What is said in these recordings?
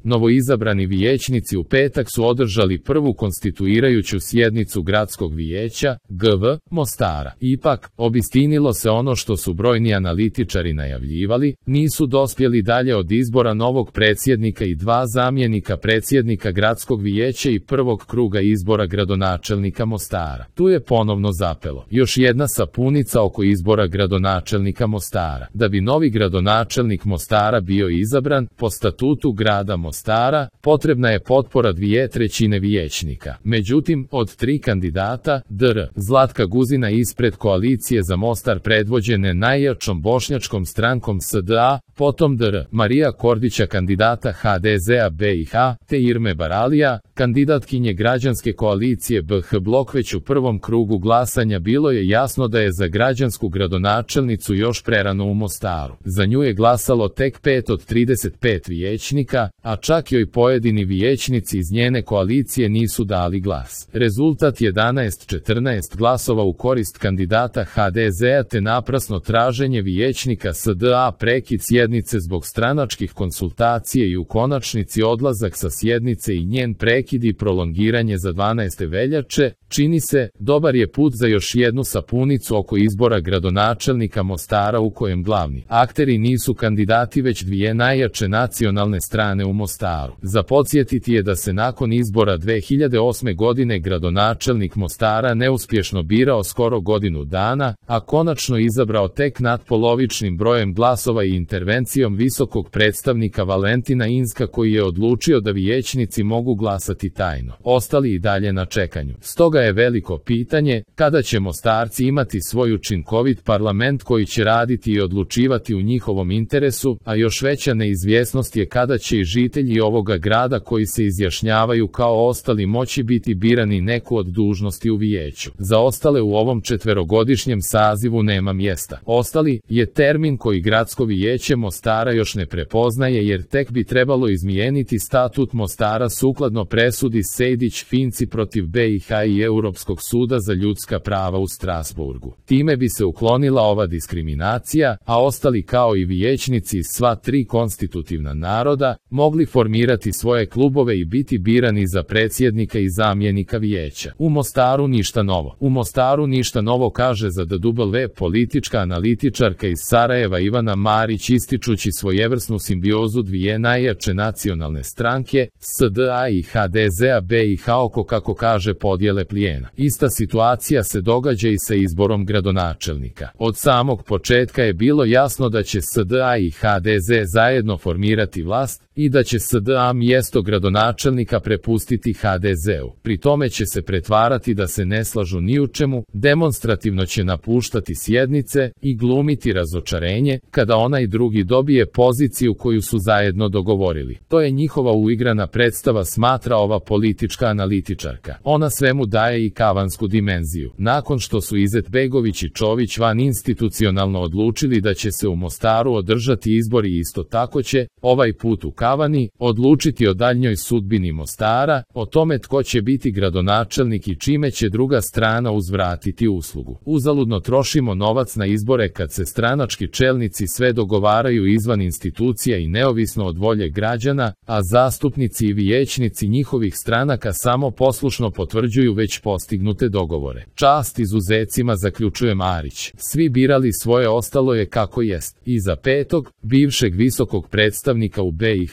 Novoizabrani vijećnici u petak su održali prvu konstituirajuću sjednicu gradskog vijeća, GV, Mostara. Ipak, obistinilo se ono što su brojni analitičari najavljivali, nisu dospjeli dalje od izbora novog predsjednika i 2 zamjenika predsjednika gradskog vijeća i prvog kruga izbora gradonačelnika Mostara. Tu je ponovno zapelo. Još jedna sapunica oko izbora gradonačelnika Mostara. Da bi novi gradonačelnik Mostara bio izabran, po statutu grada Mostara, potrebna je potpora 2/3 vijećnika. Međutim, od 3 kandidata, dr. Zlatka Guzina ispred koalicije za Mostar predvođene najjačom bošnjačkom strankom SDA, potom dr. Marija Kordića kandidata HDZ-a BiH, te Irme Baralija, kandidatkinje građanske koalicije BH Blok. Već u prvom krugu glasanja bilo je jasno da je za građansku gradonačelnicu još prerano u Mostaru. Za nju je glasalo tek 5 od 35 vijećnika, a čak joj pojedini vijećnici iz njene koalicije nisu dali glas. Rezultat 11-14 glasova u korist kandidata HDZ-a te naprasno traženje vijećnika SDA, prekid sjednice zbog stranačkih konsultacija i u konačnici odlazak sa sjednice i njen prekid i prolongiranje za 12. veljače, čini se, dobar je put za još jednu sapunicu oko izbora gradonačelnika Mostara u kojem glavni akteri nisu kandidati već 2 najjače nacionalne strane u Mostaru. Za podsjetiti je da se nakon izbora 2008. godine gradonačelnik Mostara neuspješno birao skoro godinu dana, a konačno izabrao tek natpolovičnim brojem glasova i intervencijom visokog predstavnika Valentina Inzka koji je odlučio da vijećnici mogu glasati tajno. Ostali i dalje na čekanju. Stoga je veliko pitanje, kada će Mostarci imati svoj učinkovit parlament koji će raditi i odlučivati u njihovom interesu, a još veća neizvjesnost je kada će i žitelji ovoga grada koji se izjašnjavaju kao ostali moći biti birani neku od dužnosti u vijeću. Za ostale u ovom 4-godišnjem sazivu nema mjesta. Ostali je termin koji gradsko vijeće Mostara još ne prepoznaje jer tek bi trebalo izmijeniti statut Mostara sukladno presudi Sejdić-Finci protiv BiH i Europskog suda za ljudska prava u Strasburgu. Time bi se uklonila ova diskriminacija, a ostali kao i vijećnici iz sva 3 konstitutivna naroda mogli formirati svoje klubove i biti birani za predsjednika i zamjenika vijeća. U Mostaru ništa novo. U Mostaru ništa novo kaže za DW politička analitičarka iz Sarajeva Ivana Marić ističući svojevrsnu simbiozu 2 najjače nacionalne stranke, SDA i HDZ-a BiH oko, kako kaže, podjele plijena. Ista situacija se događa i sa izborom gradonačelnika. Od samog početka je bilo jasno da će SDA i HDZ zajedno formirati vlast i da će SDA mjesto gradonačelnika prepustiti HDZ-u. Pri tome će se pretvarati da se ne slažu ni u čemu, demonstrativno će napuštati sjednice i glumiti razočarenje kada onaj drugi dobije poziciju koju su zajedno dogovorili. To je njihova uigrana predstava, smatra ova politička analitičarka. Ona svemu daje i kavansku dimenziju. Nakon što su Izetbegović i Čović van institucionalno odlučili da će se u Mostaru održati izbori, isto tako će, ovaj put u Kavani, odlučiti o daljnjoj sudbini Mostara, o tome tko će biti gradonačelnik i čime će druga strana uzvratiti uslugu. Uzaludno trošimo novac na izbore kad se stranački čelnici sve dogovaraju izvan institucija i neovisno od volje građana, a zastupnici i vijećnici njihovih stranaka samo poslušno potvrđuju već postignute dogovore. Čast izuzecima, zaključuje Marić. Svi birali svoje, ostalo je kako jest. Iza petog, bivšeg visokog predstavnika u BiH,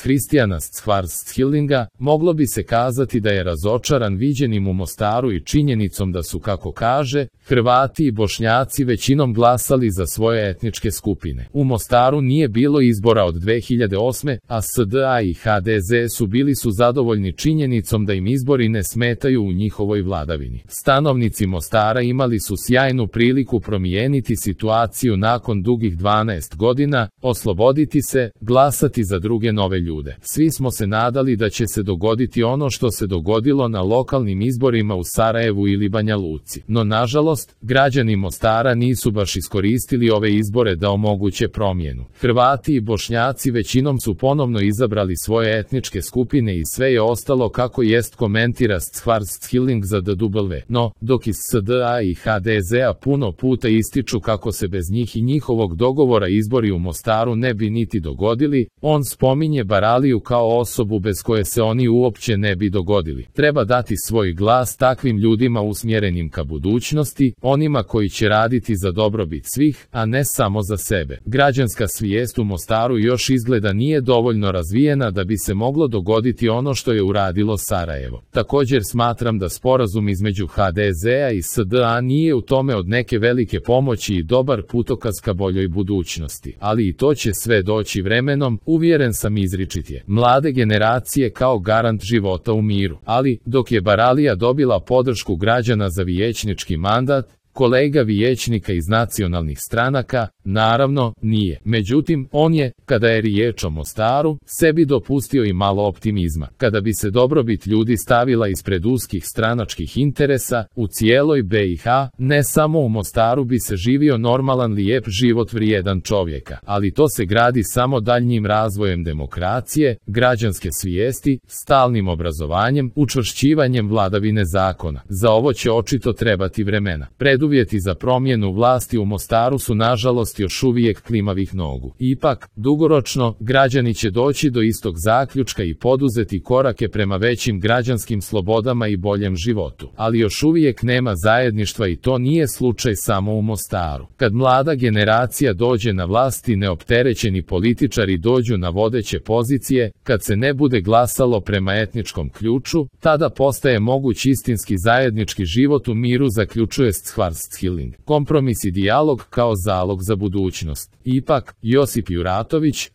Hristijana Schwarzschildinga, moglo bi se kazati da je razočaran viđenim u Mostaru i činjenicom da su, kako kaže, Hrvati i Bošnjaci većinom glasali za svoje etničke skupine. U Mostaru nije bilo izbora od 2008. a SDA i HDZ su bili zadovoljni činjenicom da im izbori ne smetaju u njihovoj vladavini. Stanovnici Mostara imali su sjajnu priliku promijeniti situaciju nakon dugih 12 godina, osloboditi se, glasati za druge nove ljude. Svi smo se nadali da će se dogoditi ono što se dogodilo na lokalnim izborima u Sarajevu ili Banja Luci. No nažalost, građani Mostara nisu baš iskoristili ove izbore da omoguće promjenu. Hrvati i Bošnjaci većinom su ponovno izabrali svoje etničke skupine i sve je ostalo kako jest, komentira Schwarzschilling za DW. No, dok iz SDA i HDZ-a puno puta ističu kako se bez njih i njihovog dogovora izbori u Mostaru ne bi niti dogodili, on spominje Baraliju kao osobu bez koje se oni uopće ne bi dogodili. Treba dati svoj glas takvim ljudima usmjerenim ka budućnosti, onima koji će raditi za dobrobit svih, a ne samo za sebe. Građanska svijest u Mostaru još izgleda nije dovoljno razvijena da bi se moglo dogoditi ono što je uradilo Sarajevo. Također smatram da sporazum između HDZ-a i SDA nije u tome od neke velike pomoći i dobar putokaz ka boljoj budućnosti. Ali i to će sve doći vremenom, uvjeren sam, izričit je. Mlade generacije kao garant života u miru. Ali, dok je Baralija dobila podršku građana za vijećnički mandat, kolega vijećnika iz nacionalnih stranaka, naravno, nije. Međutim, on je, kada je riječ o Mostaru, sebi dopustio i malo optimizma. Kada bi se dobrobit ljudi stavila ispred uskih stranačkih interesa, u cijeloj BiH, ne samo u Mostaru, bi se živio normalan, lijep život vrijedan čovjeka. Ali to se gradi samo daljnjim razvojem demokracije, građanske svijesti, stalnim obrazovanjem, učvršćivanjem vladavine zakona. Za ovo će očito trebati vremena. Preduvjeti za promjenu vlasti u Mostaru su nažalost još uvijek klimavih nogu. Ipak, dugoročno, građani će doći do istog zaključka i poduzeti korake prema većim građanskim slobodama i boljem životu. Ali još uvijek nema zajedništva i to nije slučaj samo u Mostaru. Kad mlada generacija dođe na vlast i neopterećeni političari dođu na vodeće pozicije, kad se ne bude glasalo prema etničkom ključu, tada postaje moguć istinski zajednički život u miru, zaključuje Schwarzschilling. Kompromis i dijalog kao zalog za budućnost. Ipak, Josip Juratović,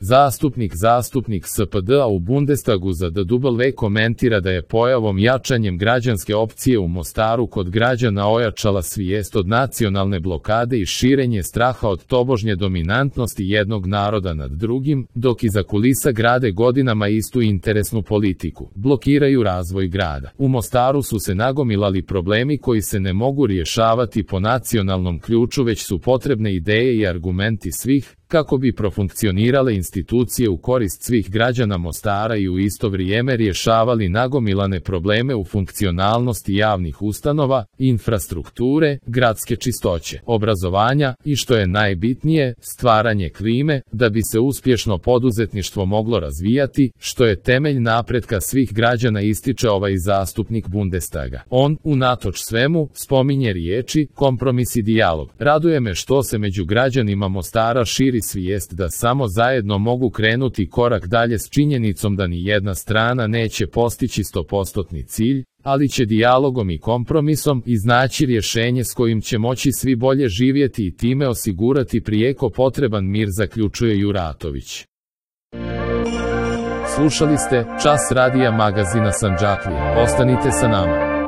zastupnik SPD-a u Bundestagu za DW, komentira da je pojavom jačanjem građanske opcije u Mostaru kod građana ojačala svijest od nacionalne blokade i širenje straha od tobožnje dominantnosti jednog naroda nad drugim, dok iza kulisa grade godinama istu interesnu politiku. Blokiraju razvoj grada. U Mostaru su se nagomilali problemi koji se ne mogu rješavati po nacionalnom ključu, već su potrebne ideje i argumenti svih, kako bi profunkcionirale institucije u korist svih građana Mostara i u isto vrijeme rješavali nagomilane probleme u funkcionalnosti javnih ustanova, infrastrukture, gradske čistoće, obrazovanja i, što je najbitnije, stvaranje klime, da bi se uspješno poduzetništvo moglo razvijati, što je temelj napretka svih građana, ističe ovaj zastupnik Bundestaga. On, unatoč svemu, spominje riječi kompromis i dijalog. Raduje me što se među građanima Mostara širi svijest da samo zajedno mogu krenuti korak dalje s činjenicom da ni jedna strana neće postići 100% cilj, ali će dijalogom i kompromisom iznaći rješenje s kojim će moći svi bolje živjeti i time osigurati prijeko potreban mir, zaključuje Juratović. Slušali ste Čas radija magazina Sandžaklija. Ostanite sa nama.